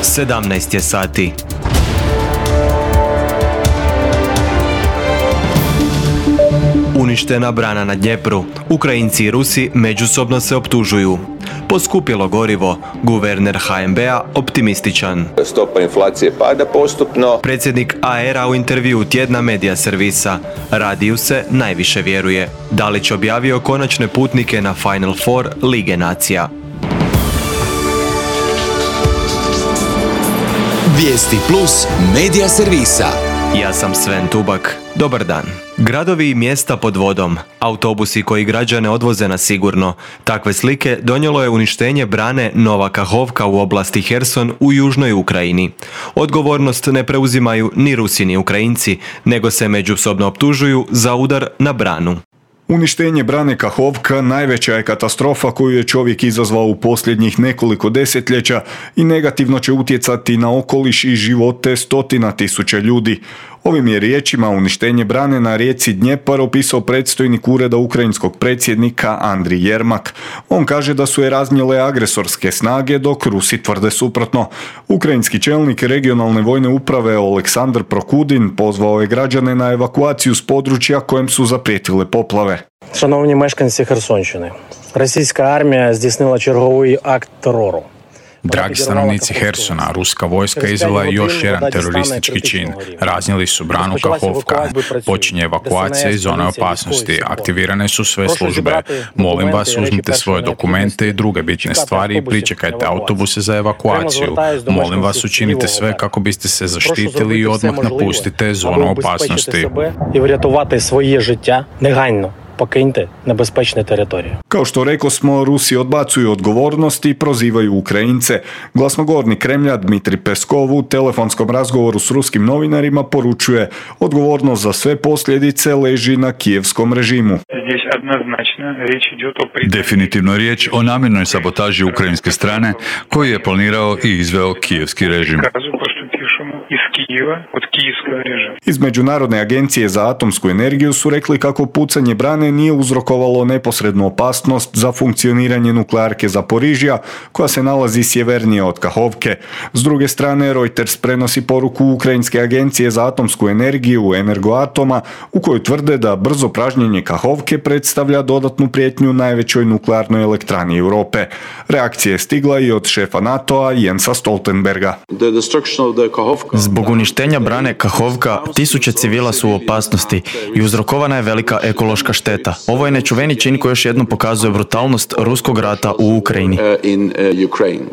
17 je sati. Uništena brana na Dnjepru. Ukrajinci i Rusi međusobno se optužuju. Poskupilo gorivo. Guverner HNB-a optimističan. Stopa inflacije pada postupno. Predsjednik AR-a u intervjuu tjedna Medija servisa. Radiju se najviše vjeruje. Dalić objavio konačne putnike na Final Four Lige nacija. Vijesti plus Medija servisa. Ja sam Sven Tubak. Dobar dan. Gradovi i mjesta pod vodom, autobusi koji građane odvoze na sigurno. Takve slike donijelo je uništenje brane Nova Kahovka u oblasti Herson u južnoj Ukrajini. Odgovornost ne preuzimaju ni Rusi ni Ukrajinci, nego se međusobno optužuju za udar na branu. Uništenje brane Kahovka najveća je katastrofa koju je čovjek izazvao u posljednjih nekoliko desetljeća i negativno će utjecati na okoliš i živote stotina tisuća ljudi. Ovim je riječima uništenje brane na rijeci Dnjepar opisao predstojnik ureda ukrajinskog predsjednika Andrij Jermak. On kaže da su je raznijele agresorske snage, dok Rusi tvrde suprotno. Ukrajinski čelnik regionalne vojne uprave Oleksandr Prokudin pozvao je građane na evakuaciju s područja kojem su zaprijetile poplave. Шановні мешканці Херсонщини, російська армія здійснила черговий акт терору. Dragi stanovnici Hersona, ruska vojska izvela je još jedan teroristički čin. Raznijeli su branu Kahovka. Počinje evakuacija iz zone opasnosti. Aktivirane su sve službe. Molim vas, uzmite svoje dokumente i druge bitne stvari i pričekajte autobuse za evakuaciju. Molim vas, učinite sve kako biste se zaštitili i odmah napustite zonu opasnosti. I vratувати svoje життя негайно. Покиньте небезпечні території. Kao što rekosmo, Rusi odbacuju odgovornost i prozivaju Ukrajince. Glasnogovornik Kremlja Dmitrij Peskov u telefonskom razgovoru s ruskim novinarima poručuje: odgovornost za sve posljedice leži na kijevskom režimu. Definitivno riječ o namjernoj sabotaži ukrajinske strane koju je planirao i izveo kijevski režim. Iz Međunarodne agencije za atomsku energiju su rekli kako pucanje brane nije uzrokovalo neposrednu opasnost za funkcioniranje nuklearke Zaporižja, koja se nalazi sjevernije od Kahovke. S druge strane, Reuters prenosi poruku Ukrajinske agencije za atomsku energiju Energoatoma, u kojoj tvrde da brzo pražnjenje Kahovke predstavlja dodatnu prijetnju najvećoj nuklearnoj elektrani Europe. Reakcija je stigla i od šefa NATO-a Jensa Stoltenberga. Zbog uništenja brane Kahovka, tisuće civila su u opasnosti i uzrokovana je velika ekološka šteta. Ovo je nečuveni čin koji još jednom pokazuje brutalnost ruskog rata u Ukrajini.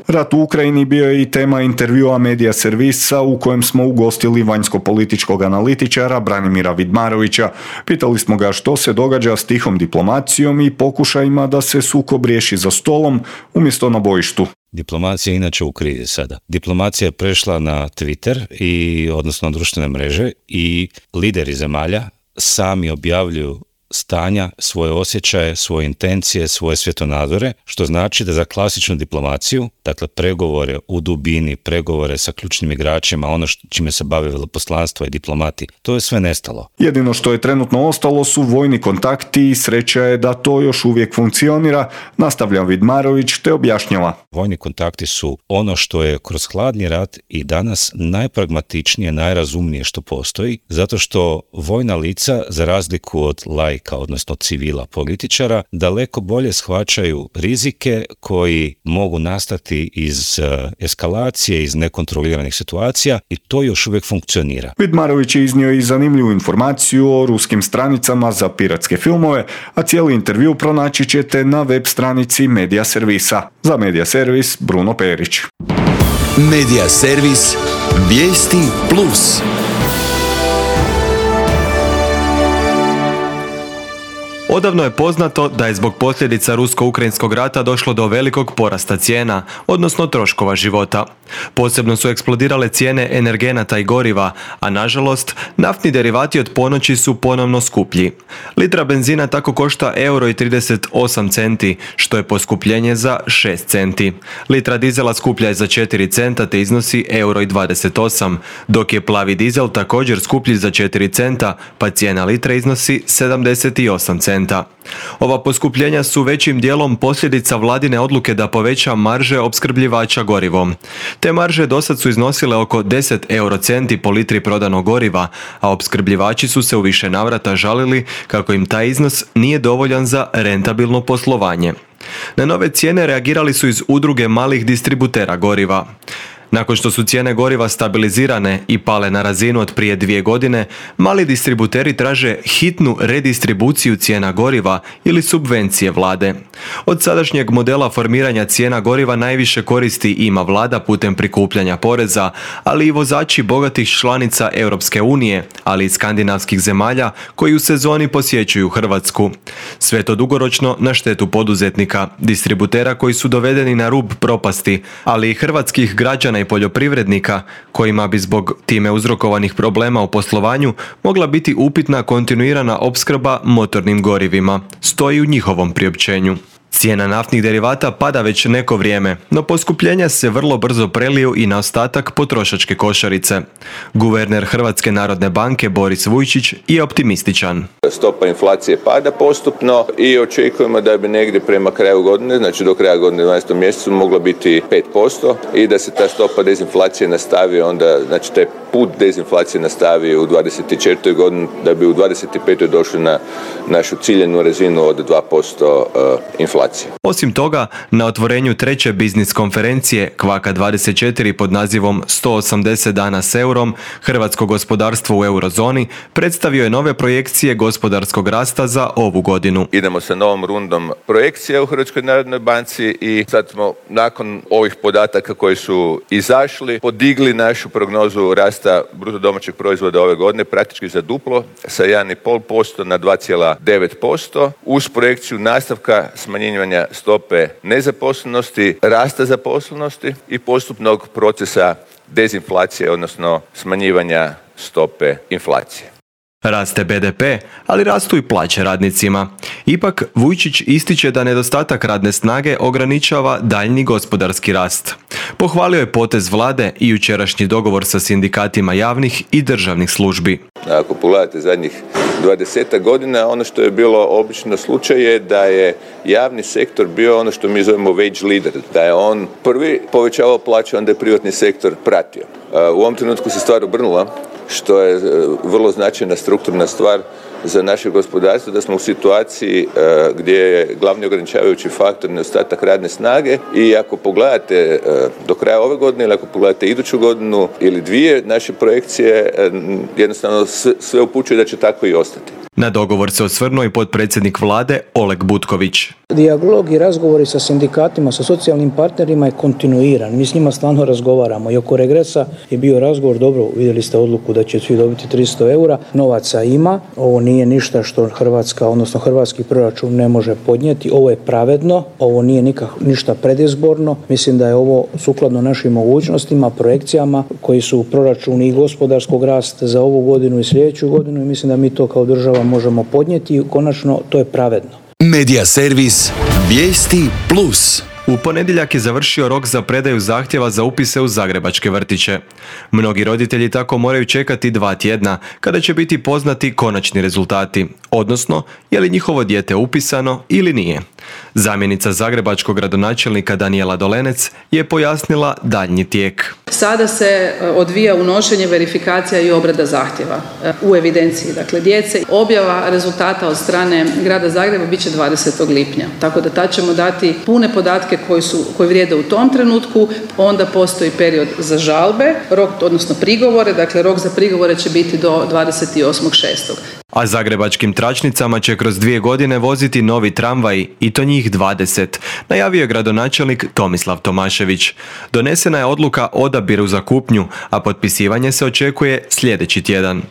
Rat u Ukrajini bio je i tema intervjua Medija servisa u kojem smo ugostili vanjsko-političkog analitičara Branimira Vidmarovića. Pitali smo ga što se događa s tihom diplomacijom i pokušajima da se sukob riješi za stolom umjesto na bojištu. Diplomacija je inače u krizi sada. Diplomacija je prešla na Twitter, odnosno na društvene mreže, i lideri zemalja sami objavljuju stanja, svoje osjećaje, svoje intencije, svoje svjetonazore, što znači da za klasičnu diplomaciju, dakle pregovore u dubini, pregovore sa ključnim igračima, ono čime se bave veleposlanstva i diplomati, to je sve nestalo. Jedino što je trenutno ostalo su vojni kontakti i sreća je da to još uvijek funkcionira, nastavlja Vidmarović te objašnjava. Vojni kontakti su ono što je kroz hladni rat i danas najpragmatičnije, najrazumnije što postoji, zato što vojna lica, za razliku od odnosno civila političara, daleko bolje shvaćaju rizike koji mogu nastati iz eskalacije, iz nekontroliranih situacija, i to još uvijek funkcionira. Vidmarović je iznio i zanimljivu informaciju o ruskim stranicama za piratske filmove, a cijeli intervju pronaći ćete na web stranici Medija servisa. Za Medija servis, Bruno Perić. Medija servis, vijesti plus. Odavno je poznato da je zbog posljedica rusko-ukrajinskog rata došlo do velikog porasta cijena, odnosno troškova života. Posebno su eksplodirale cijene energenata i goriva, a nažalost, naftni derivati od ponoći su ponovno skuplji. Litra benzina tako košta €1,38, što je poskupljenje za 6 centi. Litra dizela skuplja je za 4 centa te iznosi €1,28, dok je plavi dizel također skuplji za 4 centa, pa cijena litre iznosi 78 centi. centa. Ova poskupljenja su većim dijelom posljedica vladine odluke da poveća marže opskrbljivača gorivom. Te marže dosad su iznosile oko 10 eurocenti po litri prodanog goriva, a opskrbljivači su se u više navrata žalili kako im taj iznos nije dovoljan za rentabilno poslovanje. Na nove cijene reagirali su iz udruge malih distributera goriva. Nakon što su cijene goriva stabilizirane i pale na razinu od prije 2 godine, mali distributeri traže hitnu redistribuciju cijena goriva ili subvencije vlade. Od sadašnjeg modela formiranja cijena goriva najviše koristi ima vlada putem prikupljanja poreza, ali i vozači bogatih članica Europske unije, ali i skandinavskih zemalja koji u sezoni posjećuju Hrvatsku. Sve to dugoročno na štetu poduzetnika, distributera koji su dovedeni na rub propasti, ali i hrvatskih građana i poljoprivrednika kojima bi zbog time uzrokovanih problema u poslovanju mogla biti upitna kontinuirana opskrba motornim gorivima, stoji u njihovom priopćenju. Cijena naftnih derivata pada već neko vrijeme, no poskupljenja se vrlo brzo preliju i na ostatak potrošačke košarice. Guverner Hrvatske narodne banke Boris Vujčić je optimističan. Stopa inflacije pada postupno i očekujemo da bi negdje prema kraju godine, znači do kraja godine 12. mjesecu mogla biti 5% i da se ta stopa dezinflacije nastavi onda, znači taj put dezinflacije nastavi u 24. godini da bi u 25. došli na našu ciljenu razinu od 2% inflacije. Osim toga, na otvorenju treće biznis konferencije Kvaka 24 pod nazivom 180 dana s eurom, hrvatsko gospodarstvo u eurozoni predstavio je nove projekcije gospodarskog rasta za ovu godinu. Idemo sa novom rundom projekcija u Hrvatskoj narodnoj banci i sad smo nakon ovih podataka koji su izašli podigli našu prognozu rasta bruto domaćeg proizvoda ove godine praktički za duplo sa 1,5% na 2,9% uz projekciju nastavka smanjenja stope nezaposlenosti, rasta zaposlenosti i postupnog procesa dezinflacije, odnosno smanjivanja stope inflacije. Raste BDP, ali rastu i plaće radnicima. Ipak, Vujčić ističe da nedostatak radne snage ograničava daljnji gospodarski rast. Pohvalio je potez vlade i jučerašnji dogovor sa sindikatima javnih i državnih službi. Ako pogledate zadnjih 20 godina, ono što je bilo obično slučaj je da je javni sektor bio ono što mi zovemo wage leader, da je on prvi povećavao plaće, onda je privatni sektor pratio. U ovom trenutku se stvar obrnula, što je vrlo značajna strukturna stvar za naše gospodarstvo, da smo u situaciji gdje je glavni ograničavajući faktor nedostatak radne snage i ako pogledate do kraja ove godine ili ako pogledate iduću godinu ili dvije, naše projekcije jednostavno sve upućuju da će tako i ostati. Na dogovor se osvrnuo i potpredsjednik vlade Oleg Butković. Dijalog i razgovori sa sindikatima, sa socijalnim partnerima je kontinuiran. Mi s njima stalno razgovaramo i oko regresa je bio razgovor, dobro, vidjeli ste odluku da će svi dobiti 300 eura, novaca ima, ovo nije ništa što Hrvatska, odnosno hrvatski proračun ne može podnijeti, ovo je pravedno, ovo nije ništa predizborno, mislim da je ovo sukladno našim mogućnostima, projekcijama koji su u proračunu i gospodarskog rasta za ovu godinu i sljedeću godinu i mislim da mi to kao država možemo podnijeti i konačno to je pravedno. Medija servis Vijesti Plus. U ponedjeljak je završio rok za predaju zahtjeva za upise u zagrebačke vrtiće. Mnogi roditelji tako moraju čekati 2 tjedna kada će biti poznati konačni rezultati, odnosno je li njihovo dijete upisano ili nije. Zamjenica zagrebačkog gradonačelnika Danijela Dolenec je pojasnila daljnji tijek. Sada se odvija unošenje, verifikacija i obrada zahtjeva u evidenciji, dakle djece. Objava rezultata od strane grada Zagreba bit će 20. lipnja, tako da tad ćemo dati pune podatke koji vrijede u tom trenutku. Onda postoji period za žalbe, rok, odnosno prigovore, dakle rok za prigovore će biti do 28.6. A zagrebačkim tračnicama će kroz 2 godine voziti novi tramvaji i to njih 20, najavio je gradonačelnik Tomislav Tomašević. Donesena je odluka o odabiru za kupnju, a potpisivanje se očekuje sljedeći tjedan.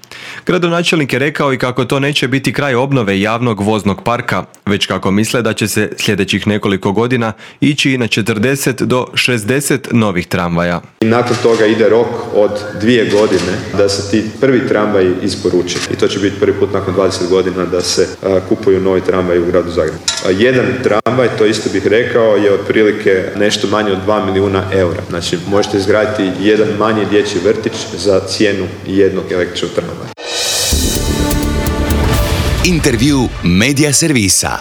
Gradonačelnik je rekao i kako to neće biti kraj obnove javnog voznog parka, već kako misle da će se sljedećih nekoliko godina ići i na 40 do 60 novih tramvaja. Nakon toga ide rok od 2 godine da se ti prvi tramvaji isporuče i to će biti prvi put nakon 20 godina da se kupuju novi tramvaji u gradu Zagrebu. Jedan tramvaj, to isto bih rekao, je otprilike nešto manje od 2 milijuna eura. Znači možete izgraditi jedan manji dječji vrtić za cijenu jednog električnog tramvaja. Intervju Medija servisa.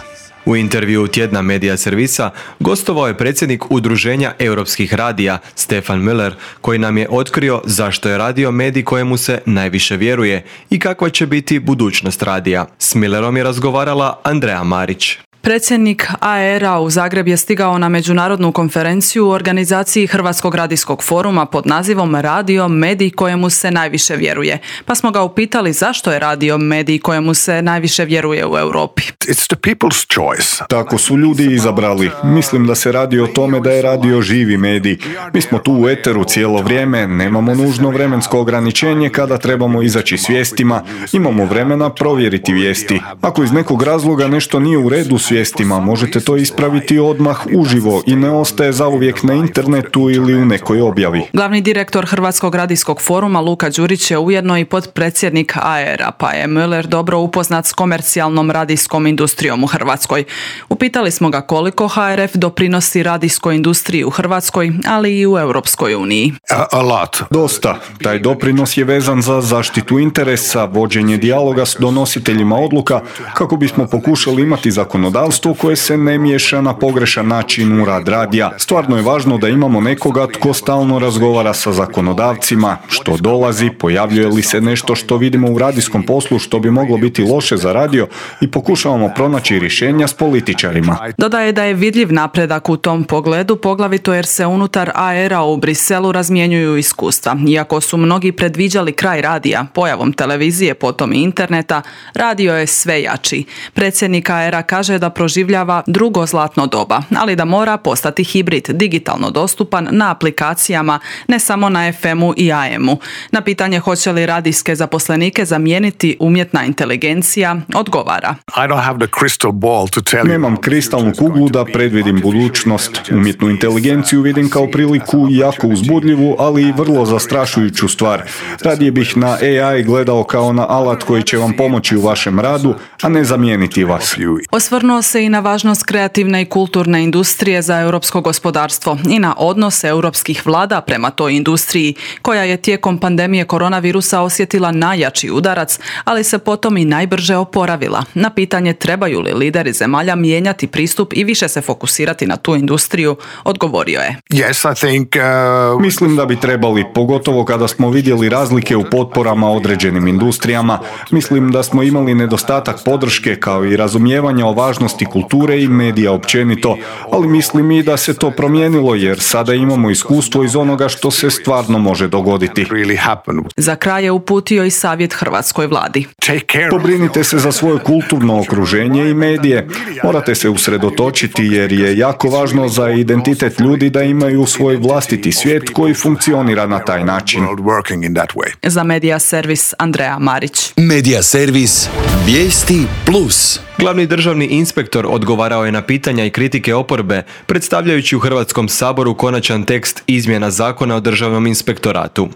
U intervju tjedna Medija servisa gostovao je predsjednik Udruženja europskih radija Stefan Müller, koji nam je otkrio zašto je radio medij kojemu se najviše vjeruje i kakva će biti budućnost radija. S Müllerom je razgovarala Andrea Marić. Predsjednik AER-a u Zagreb je stigao na međunarodnu konferenciju u organizaciji Hrvatskog radijskog foruma pod nazivom Radio medij kojemu se najviše vjeruje. Pa smo ga upitali zašto je radio medij kojemu se najviše vjeruje u Europi. It's the people's choice. Tako su ljudi izabrali. Mislim da se radi o tome da je radio živi medij. Mi smo tu u eteru cijelo vrijeme, nemamo nužno vremensko ograničenje kada trebamo izaći s vijestima, imamo vremena provjeriti vijesti. Ako iz nekog razloga nešto nije u redu s vijestima, možete to ispraviti odmah uživo i ne ostaje zauvijek na internetu ili u nekoj objavi. Glavni direktor Hrvatskog radijskog foruma Luka Đurić je ujedno i potpredsjednik AER-a, pa je Müller dobro upoznat s komercijalnom radijskom industrijom u Hrvatskoj. Upitali smo ga koliko HRF doprinosi radijskoj industriji u Hrvatskoj, ali i u Europskoj uniji. A lot. Dosta. Taj doprinos je vezan za zaštitu interesa, vođenje dijaloga s donositeljima odluka, kako bismo pokušali imati zakonodavstvo koje se ne miješa na pogrešan način u rad radija. Stvarno je važno da imamo nekoga tko stalno razgovara sa zakonodavcima, što dolazi, pojavljuje li se nešto što vidimo u radijskom poslu što bi moglo biti loše za radio i pokušavamo pronaći rješenja s političarima. Dodaje da je vidljiv napredak u tom pogledu, poglavito jer se unutar AER-a u Briselu razmjenjuju iskustva. Iako su mnogi predviđali kraj radija, pojavom televizije, potom i interneta, radio je sve jači. Predsjednik AER-a kaže da proživljava drugo zlatno doba, ali da mora postati hibrid, digitalno dostupan na aplikacijama, ne samo na FM-u i AM-u. Na pitanje hoće li radijske zaposlenike zamijeniti umjetna inteligencija, odgovara. Nemam kristalnu kuglu da predvidim budućnost. Umjetnu inteligenciju vidim kao priliku jako uzbudljivu, ali i vrlo zastrašujuću stvar. Radije bih na AI gledao kao na alat koji će vam pomoći u vašem radu, a ne zamijeniti vas. Osvrnuo se i na važnost kreativne i kulturne industrije za europsko gospodarstvo i na odnose europskih vlada prema toj industriji, koja je tijekom pandemije koronavirusa osjetila najjači udarac, ali se potom i najbrže oporavila. Na pitanje trebaju li lideri zemalja mijenjati pristup i više se fokusirati na tu industriju, odgovorio je. Mislim da bi trebali, pogotovo kada smo vidjeli razlike u potporama određenim industrijama. Mislim da smo imali nedostatak podrške kao i razumijevanja o važnosti kulture i medija općenito, ali mislim i da se to promijenilo jer sada imamo iskustvo iz onoga što se stvarno može dogoditi. Za kraj je uputio i savjet hrvatskoj vladi. Pobrinite se za svoje kulturno okruženje i medije. Morate se usredotočiti jer je jako važno za identitet ljudi da imaju svoj vlastiti svijet koji funkcionira na taj način. Za Medija servis Andrea Marić. Medija servis Vijesti plus. Glavni državni inspektor odgovarao je na pitanja i kritike oporbe, predstavljajući u Hrvatskom saboru konačan tekst izmjena Zakona o državnom inspektoratu.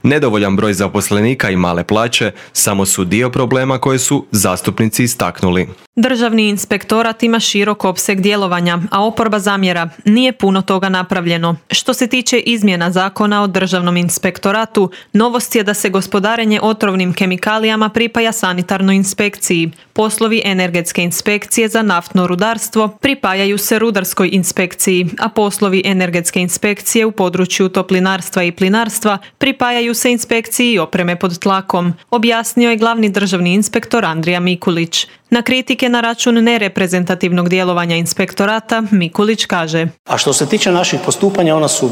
Nedovoljan broj zaposlenika i male plaće samo su dio problema koje su zastupnici istaknuli. Državni inspektorat ima širok opseg djelovanja, a oporba zamjera nije puno toga napravljeno. Što se tiče izmjena Zakona o državnom inspektoratu, novost je da se gospodarenje otrovnim kemikalijama pripaja sanitarnoj inspekciji. Poslovi energetske inspekcije za naftno rudarstvo pripajaju se rudarskoj inspekciji, a poslovi energetske inspekcije u području toplinarstva i plinarstva pripajaju se inspekciji opreme pod tlakom, objasnio je glavni državni inspektor Andrija Mikulić. Na kritike na račun nereprezentativnog djelovanja inspektorata Mikulić kaže: A što se tiče naših postupanja, ona su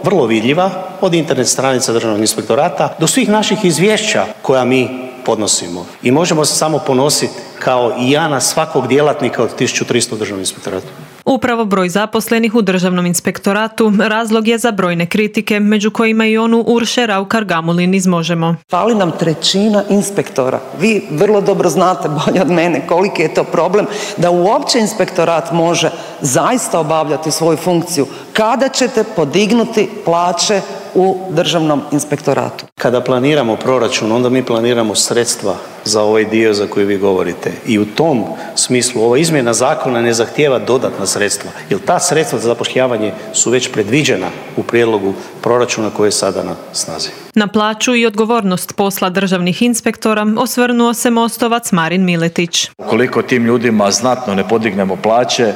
vrlo vidljiva, od internet stranica državnog inspektorata do svih naših izvješća koja mi podnosimo. I možemo se samo ponositi kao i ja na svakog djelatnika od 1300 u državnom inspektoratu. Upravo broj zaposlenih u državnom inspektoratu razlog je za brojne kritike, među kojima i onu Urše Raukar-Gamulin iz Možemo. Fali nam 1/3 inspektora. Vi vrlo dobro znate bolje od mene koliki je to problem da uopće inspektorat može zaista obavljati svoju funkciju. Kada ćete podignuti plaće u državnom inspektoratu? kada planiramo proračun, onda mi planiramo sredstva za ovaj dio za koji vi govorite. I u tom smislu ova izmjena zakona ne zahtijeva dodatna sredstva, jer ta sredstva za zapošljavanje su već predviđena u prijedlogu proračuna koji je sada na snazi. Na plaću i odgovornost posla državnih inspektora osvrnuo se Mostovac Marin Miletić. Ukoliko tim ljudima znatno ne podignemo plaće,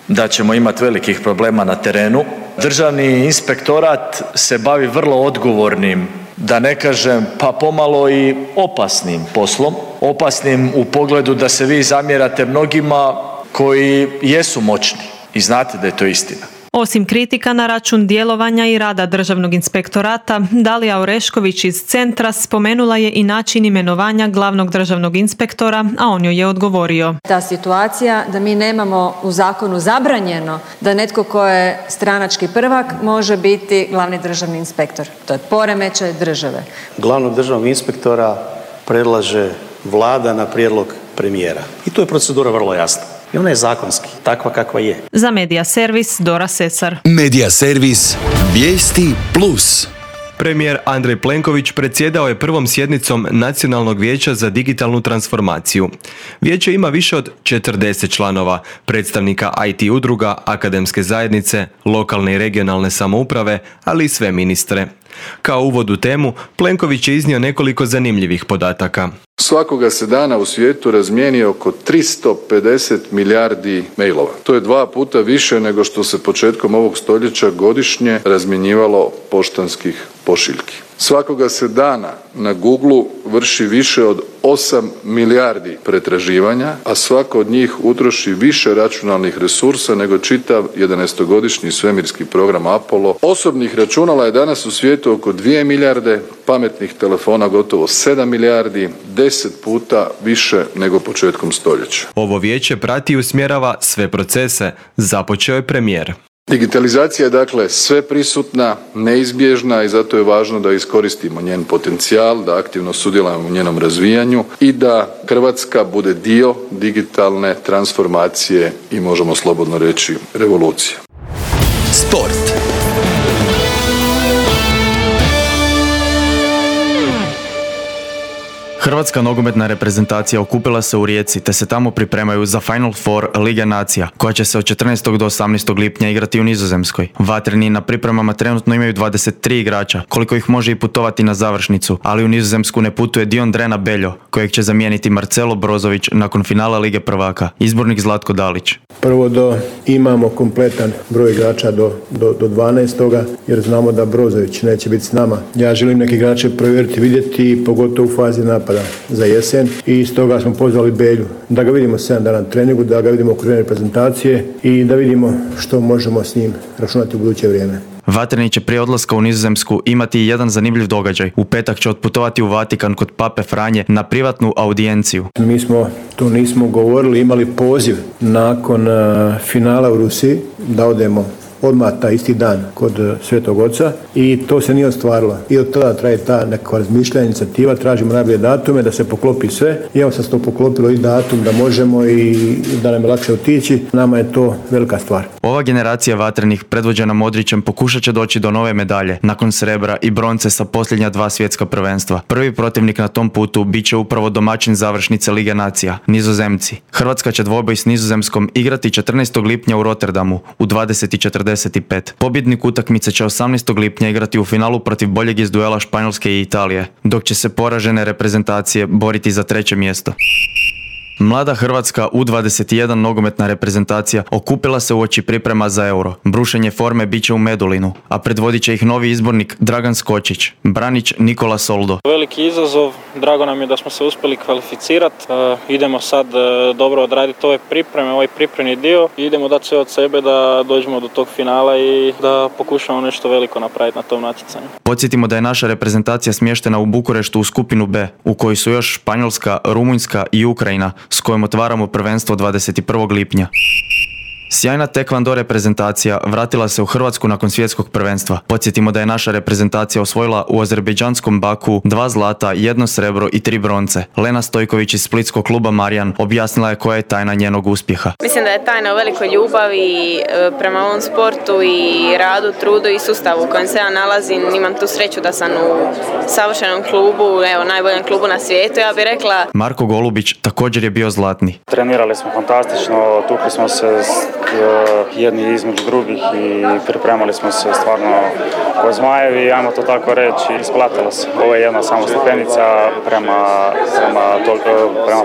da ćemo imati velikih problema na terenu. Državni inspektorat se bavi vrlo odgovornim, da ne kažem pa pomalo i opasnim poslom. Opasnim u pogledu da se vi zamjerate mnogima koji jesu moćni i znate da je to istina. Osim kritika na račun djelovanja i rada Državnog inspektorata, Dalija Orešković iz Centra spomenula je i način imenovanja glavnog državnog inspektora, a on joj je odgovorio. Ta situacija da mi nemamo u zakonu zabranjeno da netko ko je stranački prvak može biti glavni državni inspektor. To je poremećaj države. Glavnog državnog inspektora predlaže Vlada na prijedlog premijera. I tu je procedura vrlo jasna. I ona je zakonski, takva kakva je. Za Medija servis Dora Sesar. Medija servis Vijesti Plus. Premijer Andrej Plenković predsjedao je prvom sjednicom Nacionalnog vijeća za digitalnu transformaciju. Vijeće ima više od 40 članova, predstavnika IT udruga, akademske zajednice, lokalne i regionalne samouprave, ali i sve ministre. Kao uvod u temu, Plenković je iznio nekoliko zanimljivih podataka. Svakoga se dana u svijetu razmijeni oko 350 milijardi mailova. To je 2 puta više nego što se početkom ovog stoljeća godišnje razmjenjivalo poštanskih pošiljki. Svakoga se dana na Google vrši više od 8 milijardi pretraživanja, a svako od njih utroši više računalnih resursa nego čitav 11-godišnji svemirski program Apollo. Osobnih računala je danas u svijetu oko 2 milijarde, pametnih telefona gotovo 7 milijardi, 10 puta više nego početkom stoljeća. Ovo vijeće prati i usmjerava sve procese, započeo je premijer. Digitalizacija je dakle sve prisutna, neizbježna i zato je važno da iskoristimo njen potencijal, da aktivno sudjelujemo u njenom razvijanju i da Hrvatska bude dio digitalne transformacije i možemo slobodno reći revolucije. Sport. Hrvatska nogometna reprezentacija okupila se u Rijeci te se tamo pripremaju za Final Four Lige nacija, koja će se od 14. do 18. lipnja igrati u Nizozemskoj. Vatreni na pripremama trenutno imaju 23 igrača, koliko ih može i putovati na završnicu, ali u Nizozemsku ne putuje Dion Drena Beljo, kojeg će zamijeniti Marcelo Brozović nakon finala Lige prvaka. Izbornik Zlatko Dalić. Prvo imamo kompletan broj igrača do 12. jer znamo da Brozović neće biti s nama. Ja želim neke igrače provjeriti, vidjeti, pogotovo u fazi napada za jesen i stoga smo pozvali Belju da ga vidimo 7 dana na treningu, da ga vidimo u okviru reprezentacije i da vidimo što možemo s njim računati u buduće vrijeme. Vatreni će prije odlaska u Nizozemsku imati jedan zanimljiv događaj. U petak će otputovati u Vatikan kod Pape Franje na privatnu audijenciju. Mi smo, to nismo govorili, imali poziv nakon finala u Rusiji da odemo odmah taj isti dan kod Svetog Oca i to se nije ostvarilo. I od tada traje ta nekakva razmišljanja, inicijativa, tražimo najbolje datume da se poklopi sve. I evo sad se to poklopilo i datum da možemo i da nam je lakše otići. Nama je to velika stvar. Ova generacija vatrenih predvođena Modrićem pokušat će doći do nove medalje nakon srebra i bronce sa posljednja 2 svjetska prvenstva. Prvi protivnik na tom putu bit će upravo domaćin završnice Lige nacija, Nizozemci. Hrvatska će dvoboj s Nizozemskom igrati 14. lipnja u Rotterdamu u 20:45. Pobjednik utakmice će 18. lipnja igrati u finalu protiv boljeg iz duela Španjolske i Italije, dok će se poražene reprezentacije boriti za 3. mjesto. Mlada Hrvatska U21 nogometna reprezentacija okupila se uoči priprema za Euro. Brušenje forme bit će u Medulinu, a predvodit će ih novi izbornik Dragan Skočić, Branić Nikola Soldo. Veliki izazov, drago nam je da smo se uspjeli kvalificirati. Idemo sad dobro odraditi ove pripreme, ovaj pripremni dio i idemo dati sve od sebe da dođemo do tog finala i da pokušamo nešto veliko napraviti na tom natjecanju. Podsjetimo da je naša reprezentacija smještena u Bukureštu u skupinu B, u kojoj su još Španjolska, Rumunjska i Ukrajina, s kojom otvaramo prvenstvo 21. lipnja. Sjajna tekvando reprezentacija vratila se u Hrvatsku nakon svjetskog prvenstva. Podsjetimo da je naša reprezentacija osvojila u azerbejdžanskom Baku 2 zlata, 1 srebro i 3 bronce. Lena Stojković iz splitskog kluba Marijan objasnila je koja je tajna njenog uspjeha. Mislim da je tajna u velikoj ljubavi prema ovom sportu i radu, trudu i sustavu u kojem se ja nalazim. Imam tu sreću da sam u savršenom klubu, najboljem klubu na svijetu, ja bih rekla. Marko Golubić također je bio zlatni. Trenirali smo fantastično, tukli smo se jedni između drugih i pripremali smo se stvarno ko zmajevi, ajmo to tako reći, isplatilo se. Ovo je jedna samo stepenica prema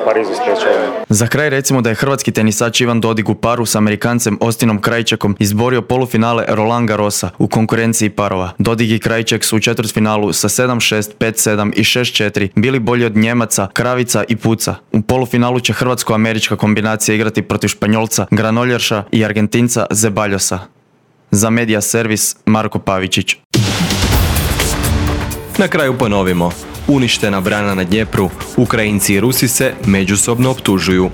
Parizu spriječavanju. Za kraj recimo da je hrvatski tenisač Ivan Dodig u paru s Amerikancem Ostinom Krajčekom izborio polufinale Roland Garrosa u konkurenciji parova. Dodig i Krajček su u četvrtfinalu sa 7-6, 5-7 i 6-4 bili bolji od Njemaca, Kravica i Puca. U polufinalu će hrvatsko-američka kombinacija igrati protiv Španjolca Granoljerša i Argentinca Zeballosa. Za Media Servis Marko Pavičić. Na kraju ponovimo. Uništena brana na Dnjepru, Ukrajinci i Rusi se međusobno optužuju.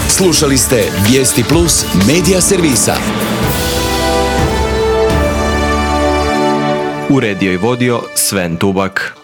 Slušali ste Vijesti Plus Media Servisa. Uredio i vodio Sven Tubak.